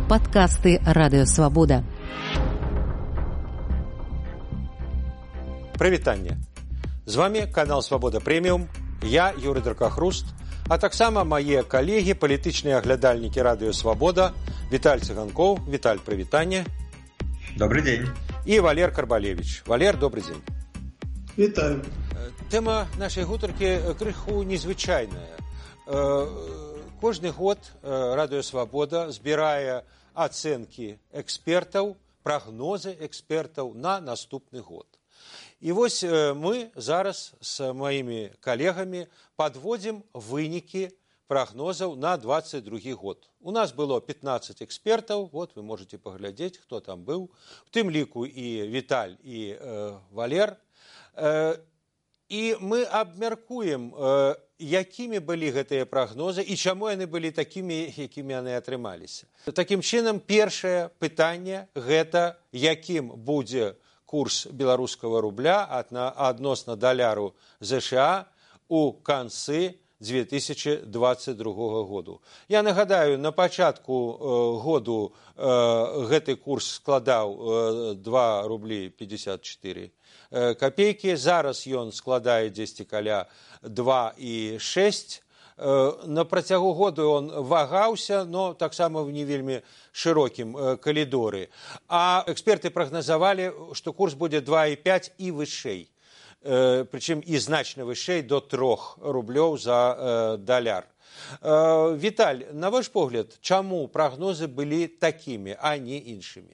Падкасты Радыёвабода. Прывітанне. З вами канал Свабода Прэміум, я Юрый Дракахруст, а таксама мае калегі, палітычныя аглядальнікі Радыёвабода, Віталь Цыганкоў. Віталь, прывітанне. Добрый день. І Валер Карбалевич. Валер, добрый дзень. Вітаю. Тэма нашай гутаркі крыху незвычайная. Кожны год Радыёвабода збірае ацэнкі экспертаў, прагнозы экспертаў на наступны год. І вось мы зараз з маімі калегамі падводзім вынікі прагнозаў на 22 год. У нас было 15 экспертаў, вот вы можете паглядзець, хто там быў, у тым ліку і Віталь, і Валер. І мы абмяркуем, якімі былі гэтыя прагнозы і чаму яны былі такімі, якімі яны атрымаліся. Такім чынам, першае пытанне – гэта якім будзе курс беларускага рубля адносна даляру ЗША у канцы 2022 году. Я нагадаю, на пачатку году гэты курс складаў 2 рублі 54 копейкі. Зараз ён складае дзесьці каля 2,6. На працягу году он вагаўся, но таксама в не вельмі шырокім калідоры. А эксперты прагназавалі, што курс будзе 2,5 і вышэй. Прычым і значна вышэй до 3 рублёў за даляр. Віталь, на ваш погляд, чаму прагнозы былі такімі, а не іншымі?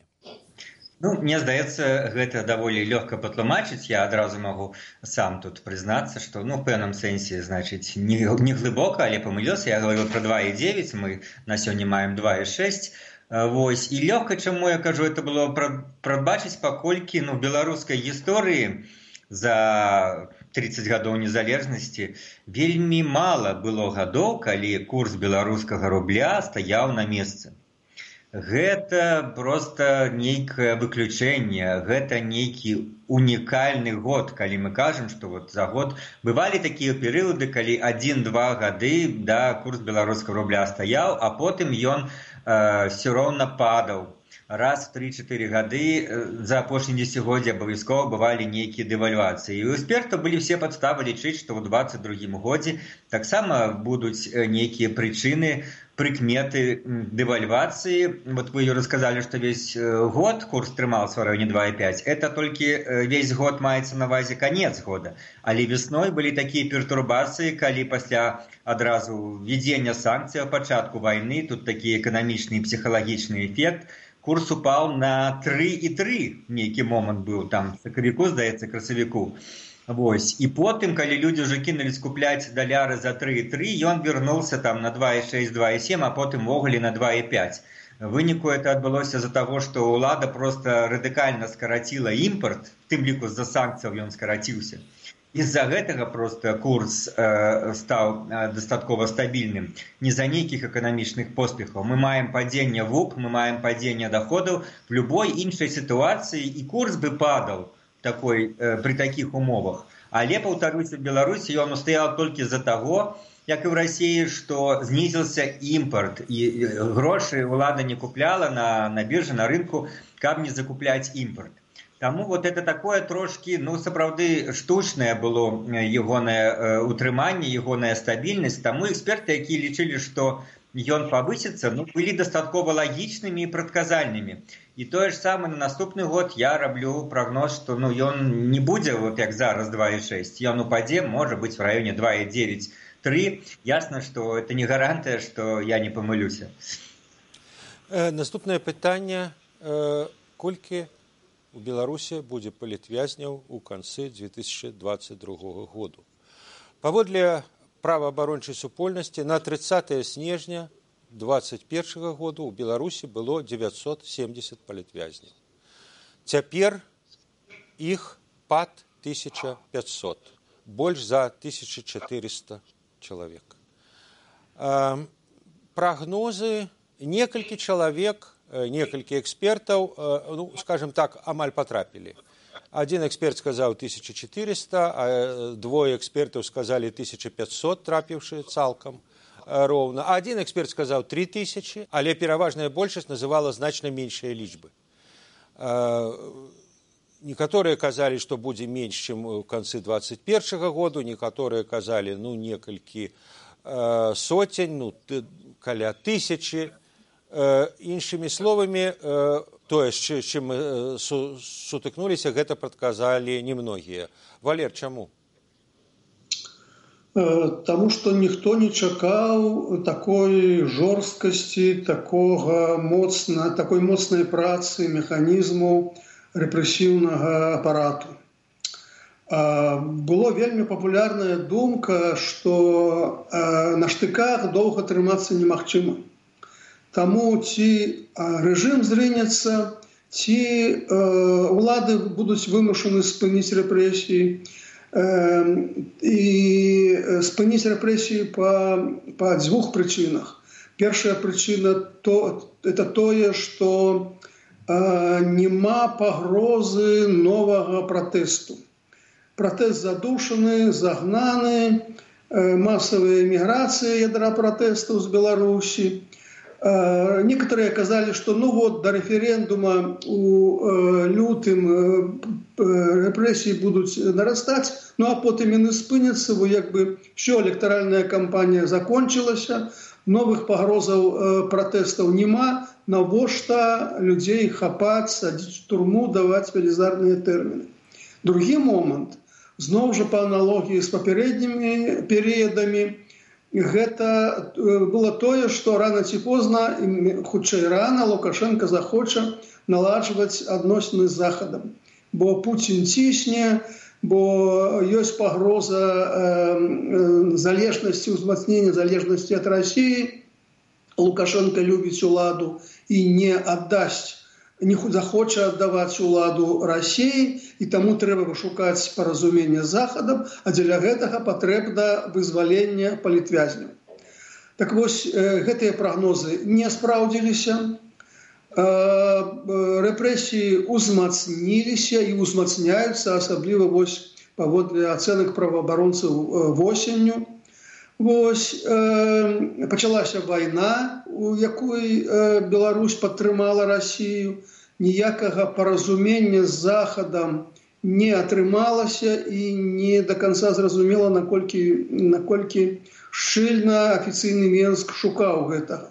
Ну, мне здаецца, гэта даволі лёгка патлумачыць. Я адразу магу сам тут прызнацца, што, в пэўным сэнсе, значыць, не глыбока, але памылёўся. Я гаварыў пра 2,9, мы на сёння маем 2,6. Вось. І лёгка, чаму я кажу, это было прадбачыць, паколькі, в беларускай гісторыі за 30 гадоў незалежнасці вельмі мала было гадоў, калі курс беларускага рубля стаяў на месцы. Гэта проста нейкае выключэнне, гэта нейкі унікальны год, калі мы кажам, што вот за год бывалі такія перыяды, калі 1-2 гады курс беларускага рубля стаяў, а потым ён все роўна падаў. Раз в 3-4 гады за апошнія дзесяцігоддзі абавязкова бывалі нейкія дэвальвацыі. І у экспертаў былі все падставы лічыць, што ў 22 годзе таксама будуць нейкія прычыны, прыкметы дэвальвацыі. Вот вы, Юра, сказалі, што весь год курс трымаўся ў раёне 2,5. Это толькі весь год маецца на ўвазе канец года. Але весной былі такія пертурбацыі, калі пасля адразу введзення санкцый, пачатку вайны, тут такі эканамічны і псіхалагічны эфект, курс упаў на 3,3, нейкі момант быў там, сакавіку, здаецца, красавіку. Вось. І потым, калі людзі ўжо кінулі скупляць даляры за 3,3, ён вярнуўся там на 2,6, 2,7, а потым ввогуле на 2,5. Выніку это адбылося з-за таго, што ўлада проста радыкальна скараціла імпарт, тым ліку з-за санкцыяў ён скараціўся. З-за гэтага проста курс стаў дастаткова стабільным. Не за нейкіх эканамічных поспехаў. Мы маем падзенне ВУП, мы маем падзенне доходаў. В любой іншай сітуацыі і курс бы падаў при такіх умовах. Але, паўтаруся, в Беларусі ён устаяў толькі з-за таго, як і в России, што знізіўся імпарт. І грошы ўлада не купляла на біржы, на рынку, каб не закупляць імпарт. Таму вот это такое трошки, сапраўды штучнае было ягонае утрыманне, ягоная стабільнасць. Таму эксперты, якія лічылі, што ён павысіцца, былі дастаткова лагічнымі і прадказальнымі. І тое ж самае на наступны год я раблю прагноз, што ён не будзе, вот як зараз, 2,6. Ён упадзе, можа быць, в раёне 2,9-3. Ясна, што это не гарантыя, што я не памылюся. Наступнае пытанне. Колькі у Беларусі будзе палітвязняў у канцы 2022 году. Паводле праваабарончай супольнасці на 30 снежня 2021 году у Беларусі было 970 палітвязняў. Цяпер іх пад 1500, больш за 1400 чалавек. Прагнозы, некалькі чалавек, некалькі экспертаў, скажем так, амаль потрапілі. Один эксперт сказаў 1400, а двое экспертаў сказалі 1500, трапіўшы цалкам. роўна. Один эксперт сказаў 3000, але пераважная большасць называла значна меншыя лічбы. Некаторыя казалі, што будзе менш, чым у канцы 2021 году, некаторыя казалі, некалькі сотень, каля 1000. Іншымі словамі, тое, з чым мы сутыкнуліся, гэта прадказалі немногія. Валер, чаму? Таму што ніхто не чакаў такой жорсткасці, такой моцнай працы механізму рэпрэсіўнага апарату. Было вельмі папулярная думка, што на штыках доўга трымацца немагчыма. Таму ці рэжым зрынецца, ці ўлады будуць вымушаны спыніць рэпрэсіі, і спыніць рэпрэсіі па дзвюх прычынах. Першая прычына это тое, што няма пагрозы новага пратэсту. Пратэст задушаны, загнаны, масавая эміграцыя ядра пратэстаў з Беларусі. Некоторые казалі, што до рэферэндума у лютым рэпрэсіі будуць нарастаць, а потым яны спыняцца, все, электаральная кампанія закончылася, новых пагрозаў пратэстаў няма, навошта людзей хапаць, садзіць у турму, даваць велізарныя тэрміны. Другі момант, зноў жа па аналогіі з папярэднімі перыядамі, гэта было тое, што рана ці позна, хутчэй рана, Лукашенко захоча наладжваць адносіны з Захадам. Бо Пуцін цісне, бо ёсць пагроза залежнасці, узмацнення залежнасці ад Расіі. Лукашенко любіць уладу і не аддасць, не захоча аддаваць уладу Расіі, і таму трэба пашукаць паразуменне з Захадам, а дзеля гэтага патрэбна вызваленне палітвязняў. Так вось, гэтыя прагнозы не спраўдзіліся. Рэпрэсіі узмацніліся і узмацняюцца, асабліва паводле ацэнак праваабаронцаў восенню. Пачалася вайна, у якой Беларусь падтрымала Расію. Ніякага паразумення з Захадам не атрымалася і не до конца зразумела, наколькі шчыльна афіцыйны Менск шукаў гэтага.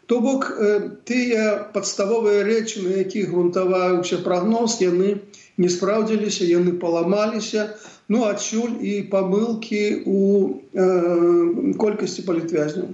То бок, тыя падставовыя рэчы, на якіх грунтаваўся прагноз, яны не спраўдзіліся, яны паламаліся, адсюль і памылкі у колькасці палітвязняў.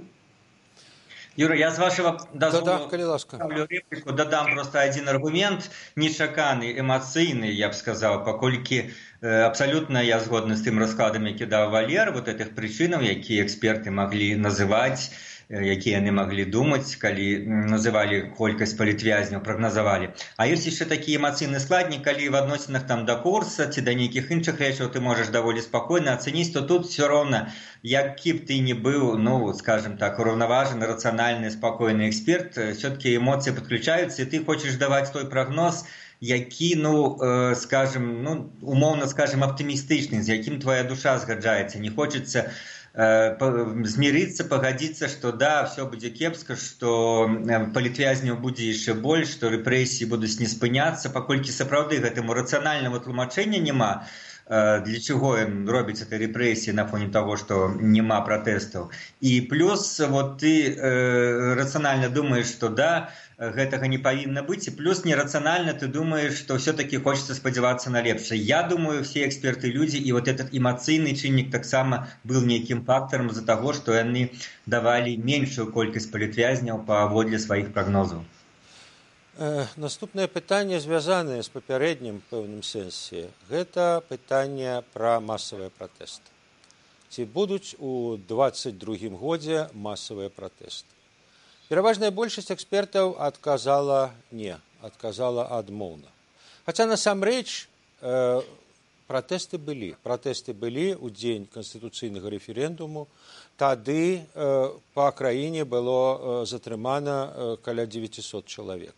Юра, я з вашего дозволу реплику дадам просто один аргумент, нечаканы, эмоцыйны, я б сказаў, паколькі абсолютно я згодны з тым раскладам, які даў Валер, этих прычынаў, якія эксперты маглі называць, якія яны маглі думаць, калі называлі колькасць палітвязняў, прагназавалі. А ёсць яшчэ такі эмацыйны складнік, калі в адносінах да курса ці да нейкіх іншых рэчаў ты можаш даволі спакойна ацэніць, то тут все роўна, які б ты не быў, скажем так, ураўнаважаны, рацыянальны, спакойны эксперт, все-таки эмоцыі падключаюцца, і ты хочаш даваць той прагноз, які, скажем, умоўна скажем, аптымістычны, з якім твоя душа згаджаецца. Не хочацца змириться, погодиться, что да, все будет кепска, что палітвязняў будзе яшчэ больш, што рэпрэсіі будуць не спыняцца, паколькі сапраўды гэтаму рацыянальнага тлумачэння няма, для чего ён робіць этой рэпрэсіі на фоне того, что няма пратэстаў. І плюс ты рацыянальна думаеш, что да, гэтага не павінна быць, і плюс нерацыянальна ты думаеш, што все-таки хочется спадзявацца на лепшае. Я думаю, все эксперты люди, і этот эмацыйны чыннік таксама был нейкім фактарам з-за таго, што яны давалі меншую колькасць палітвязняў паводле сваіх прагнозаў. Наступнае пытанне, звязанае з папярэднім пэўным сэнсе, гэта пытанне пра масавыя пратэсты. Ці будуць у 2022 годзе масавыя пратэсты? Пераважная большасць экспертаў адказала не, адказала адмоўна. Хаця насамрэч пратэсты былі. Пратэсты былі ў дзень канстытуцыйнага рэферэндуму. Тады па краіне было затрымана каля 900 чалавек.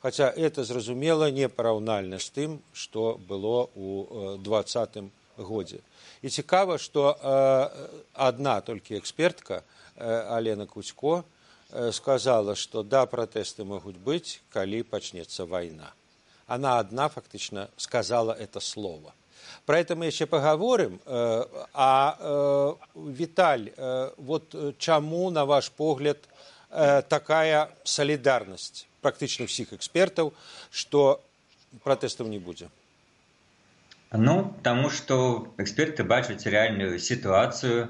Хаця это, зразумела, не параўнальна з тым, што было ў 2020 годзе. І цікава, што адна толькі экспертка Алена Кузько сказала, что да, протесты могут быть, коли начнется война. Она одна фактично сказала это слово. Про это мы еще поговорим. Виталь, вот чему, на ваш погляд, такая солидарность практически всех экспертов, что протестов не будет? Ну, потому что эксперты бачат реальную ситуацию,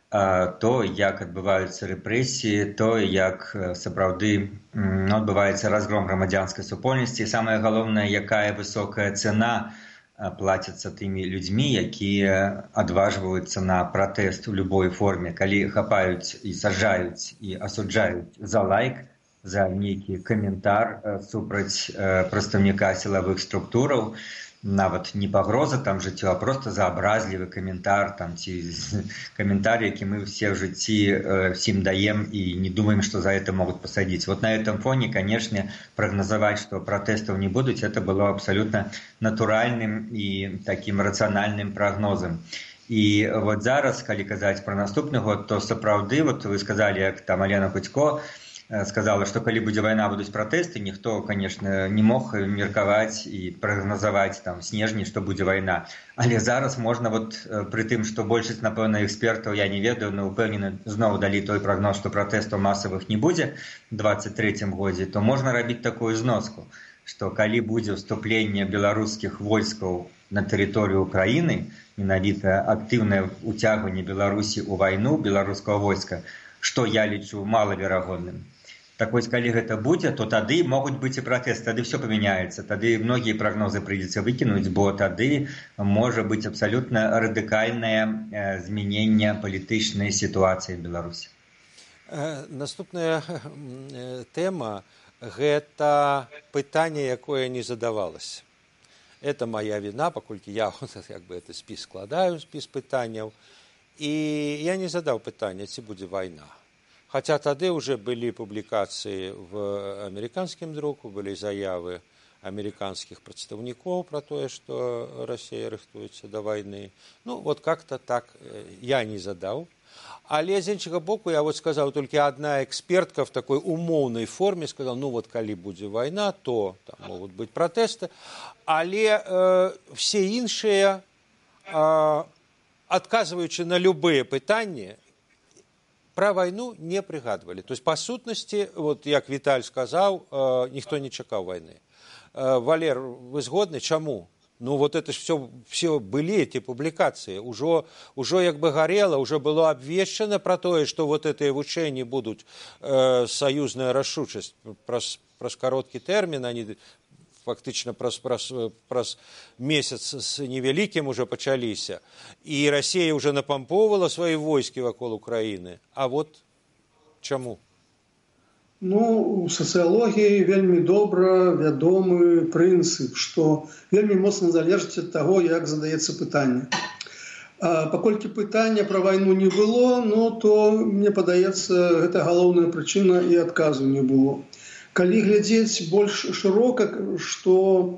то, як адбываюцца рэпрэсіі, то, як сапраўды адбываецца разгром грамадзянскай супольнасці. Самае галоўнае, якая высокая цена плаціцца тымі людзьмі, якія адважваюцца на пратэст у любой форме, калі хапаюць і саджаюць і асуджаюць за лайк, за нейкі каментар супраць прадстаўніка сілавых структураў, нават не пагроза там жыццю, а просто за абразлівы каментар там, ці каментар, які мы все в жыцці всім даем і не думаем, что за это могут посадить. Вот на этом фоне, конечно, прогнозовать, что протестов не будут, это было абсолютно натуральным и таким рациональным прогнозом. И вот зараз, калі казаць про наступны год, то сапраўды, вот вы сказали, як там Алена Кузько сказала, что калі будзе вайна, будуць пратэсты, ніхто, конечно, не мог меркаваць і прагназаваць там снежні, што будзе вайна. Але зараз можна вот пры тым, што большасць, напэўна, экспертаў, я не ведаю, но упэўнены, зноў далі той прагноз, што пратэстаў масавых не будзе у 23-м годзе, то можна рабіць такую зноску, што калі будзе ўступленне беларускіх войскаў на тэрыторыю Украіны, менавіта актыўнае ўцягванне Беларусі ў вайну беларускага войска, што я лічу малаверагодным. Так вось, калі гэта будзе, то тады могуць быць і пратэсты, тады все памяняецца, тады многія прагнозы прыйдзецца выкінуць, бо тады можа быць абсалютна радыкальнае змяненне палітычнай сітуацыі ў Беларусі. Наступная тэма – гэта пытанне, якое не задавалось. Это моя вина, паколькі я это спіс складаю, спіс пытанняў, і я не задаў пытання, ці будзе вайна. Хотя тады уже были публикации в американском друку, были заявы американских представников про то, что Россия рыхтуется до войны. Ну, вот как-то так я не задал. Але з іншага боку, я вот сказал, только одна экспертка в такой умоўнай форме сказала, ну вот, калі будзе война, то там могут быть протесты. Але все іншыя, отказываючи на любые пытанні, про войну не пригадывали. То есть, по сутности, вот як Виталь сказал, никто не чекал войны. Валер, вы згодны? Чему? Ну, вот это ж все были эти публикации. Уже як бы горело, уже было обвешено про то, что вот это вучэнні будут союзная рашучасць. Праз короткі термин, они фактично праз месяц с невеликим уже пачаліся. И Россия уже напампоўвала свои войски вакол Украины. А вот чему? Ну, у сацыялогіі вельмі добра вядомы прынцып, што вельмі моцна залежыць ад таго, як задаецца пытанне. Паколькі пытання пра вайну не было, ну, то, мне падаецца, гэта галоўная прычына і адказу не было. Калі глядзець больш шырока, што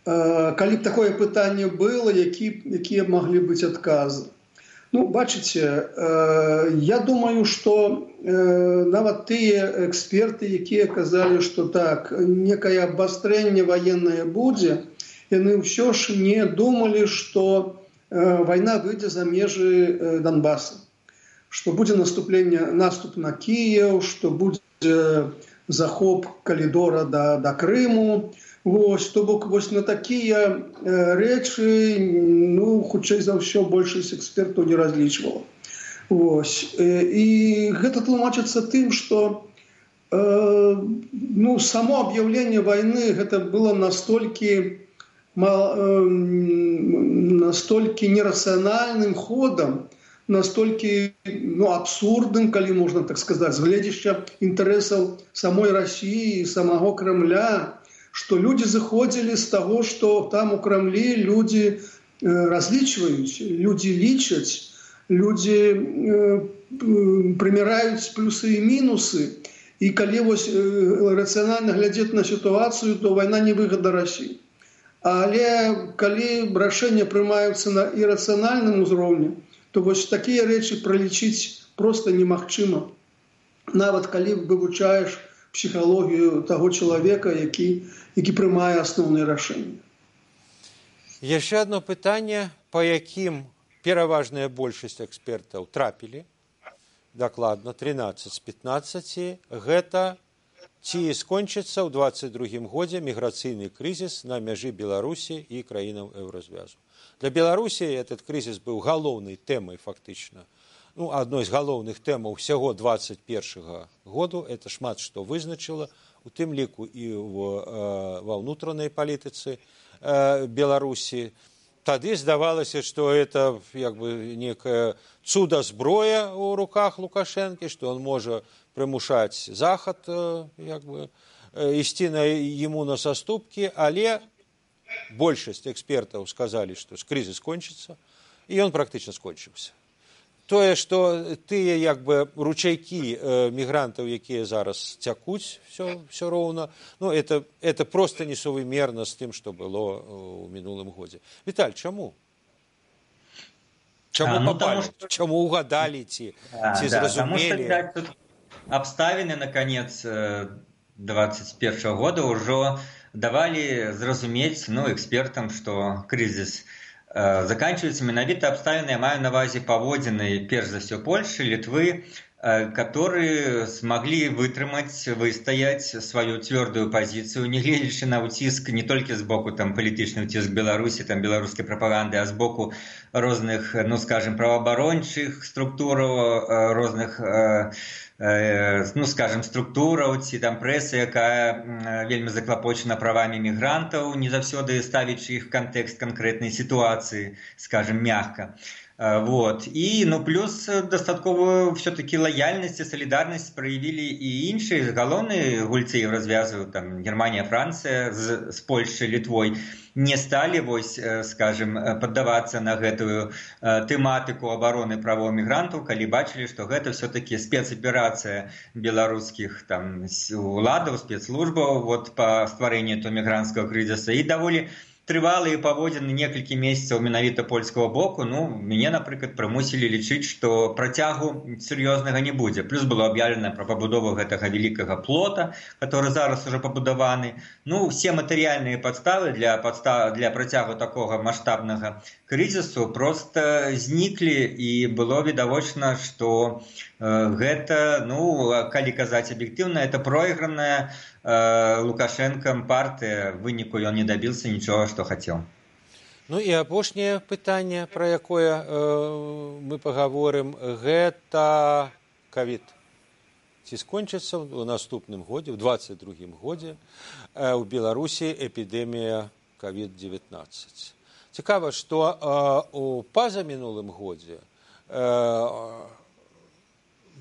калі б такое пытанне было, якія маглі быць адказы. Ну, бачыце, я думаю, што нават тыя эксперты, якія казалі, што так, некае абвастрэнне ваеннае будзе, яны ўсё ж не думалі, што вайна выйдзе за межы Донбаса, што будзе наступ на Кіеў, што будзе захоп калідора да Крыму. Вось, то бок, вось на такія рэчы, ну, хутчэй за ўсё, большасць экспертаў не разлічвала. Вось. І гэта тлумачыцца тым, што ну, само аб'яўленне вайны гэта было настолькі нерацыянальным ходам, настолькі абсурдным, калі можна так сказаць, з гледзяча інтарэсаў самой Расіі і самого Кремля, што людзі заходзілі з таго, што там у Крамлі людзі разлічваюць, людзі лічаць, людзі прыміраюць плюсы і мінусы. І калі вось рацыянальна глядзець на сітуацыю, то вайна не выгада Расіі. Але калі рашэнні прымаюцца на ірацыянальным узроўні, то вось такія рэчы пралічыць проста немагчыма. нават калі вывучаеш псіхалогію таго чалавека, які прымае асноўныя рашэнні. Яшчэ одно пытанне, па якім пераважная большасць экспертаў трапілі, дакладна 13 з 15, гэта ці скончыцца ў 22 годзе міграцыйны крызіс на мяжы Беларусі і краінаў Еўразвязу. Для Беларусі этот крызіс быў галоўнай тэмай фактычна. Адной з галоўных тэмаў ўсяго 21 году, это шмат што вызначыла, у тым ліку і ва ўнутранай палітыцы Беларусі. Тады здавалася, што это некая цуда-зброя ў руках Лукашэнкі, што он можа прымушаць Захад ісці яму на саступкі, але большасць экспертаў сказалі, што крызіс скончыцца, і ён практычна скончыўся. Тое, што тыя ручайкі мігрантаў, якія зараз цякуць все роўна, это просто несувымерна з тым, што было ў мінулым годзе. Віталь, чаму? Чаму попали? Чаму угадалі ці зразумелі? Обставины на конец 2021 года уже давали зразумець экспертам, что кризис заканчивается менавіта обставины, я маю на увазе паводзіны, перш за все, Польши, Литвы, которые смогли выстоять свою твердую позицию, не глядячи на утиск не только с боку политичный утиск Беларуси, белорусской пропаганды, а с боку разных, правоабарончых структур, разных структураў ці прэсы, якая вельмі заклапочана правамі мігрантаў, не заўсёды ставячы іх кантэкст канкрэтнай сітуацыі, мягка. И, плюс дастатковую все-таки лояльность и солидарность проявили и іншыя галоўныя гульцы Еўразвязу, Германия, Франция с Польшей, Литвой, не стали, поддаваться на гэтую тематику обороны правоў мігрантаў, калі бачили, что гэта все-таки спецоперация белорусских уладаў, спецслужбаў по стварэнню этого мігрантского кризиса, и даволі трывалыя паводзіны некалькі месяцаў менавіта польскага боку, мяне, напрыклад, прымусілі лічыць, што працягу сур'ёзнага не будзе. Плюс было аб'яўлена пра пабудову гэтага вялікага плота, который зараз уже пабудаваны. Все матэрыяльныя падставы для працягу такога маштабнага крызісу просто зніклі, і было відавочна, што гэта, калі казаць аб'ектыўна, это пройграная Лукашенком партия, в выніку ён не добился ничего, что хотел. І апошняе пытанне, про якое мы поговорим, гэта ковід. Ці скончыцца ў наступным годзе, ў 22-м годзе у Беларусі эпідэмія COVID-19. Цікава, што у пазамінулым годзе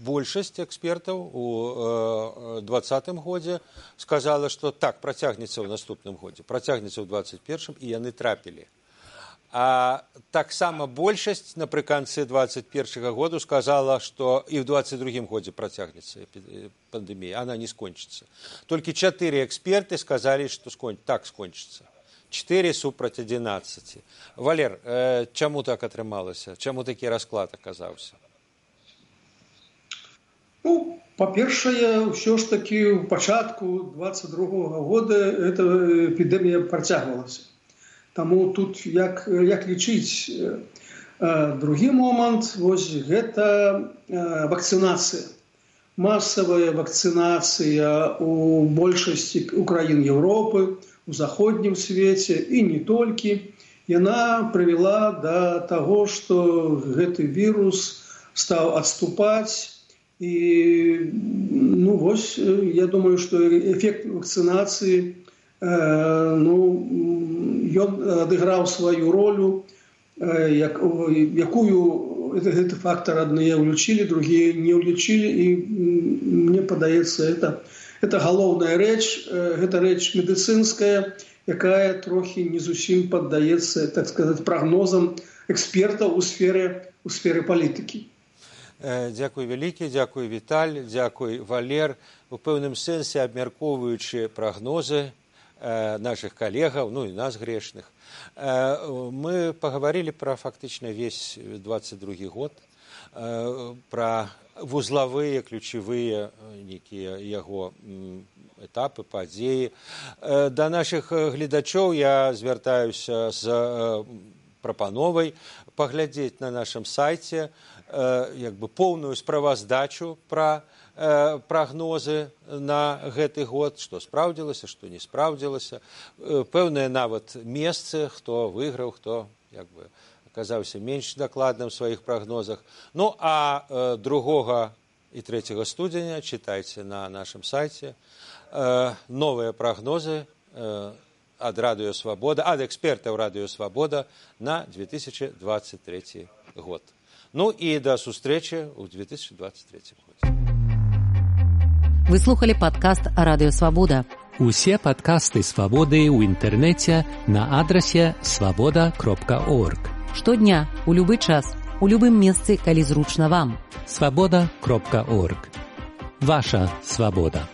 большасць экспертаў у 2020 годзе сказала, што так, працягнецца ў наступным годзе, працягнецца ў 2021, і яны трапілі. А таксама большасць напрыканцы 2021 году сказала, што і ў 2022 годзе працягнецца пандэмія, она не скончыцца. Толькі 4 эксперты сказалі, што так скончыцца. 4 супраць 11. Валер, чаму так атрымалася? Чаму такі расклад аказаўся? Па-першае, ўсё ж такі ў пачатку 22 года эта эпідэмія працягвалася. Таму тут як лічыць? Другі момант, гэта вакцынацыя. Масавая вакцынацыя у большасці краін Еўропы, у заходнім свеце і не толькі. Яна прывяла да таго, што гэты вірус стаў адступаць. И, я думаю, что эффект вакцинации, он отыграл свою роль, якую этот фактор одни улучили, другие не улучили, и мне подается, это головная речь, это речь медицинская, якая трохи не зусім поддается, так сказать, прогнозам экспертов у сферы политики. Дзякуй вялікі, дзякуй Віталь, дзякуй Валер. У пэўным сэнсе абмяркоўваючы прагнозы наших калегаў, і нас грешных, мы паговорили про фактычна весь 22 год, про вузлавыя, ключавыя нейкія яго этапы, падзеі. Да нашых гледачоў я звяртаюся з прапановай паглядзець на нашым сайце поўную справаздачу пра прагнозы на гэты год, што спраўдзілася, што не спраўдзілася, пэўныя нават месцы, хто выйграў, хто аказаўся менш дакладным у сваіх прагнозах. Ну, а 2 і 3 студзеня чытайце на нашым сайце новыя прагнозы ад Радыё Свабода, ад экспертаў Радыё Свабода на 2023 год. Ну і да сустрэчы ў 2023 годзе. Вы слухали падкаст Радыё Свабода. Усе падкасты Свабоды ў інтэрнэце на адрасе swaboda.org. Штодня, у любы час, у любым месцы, калі зручна вам. swaboda.org. Ваша свабода.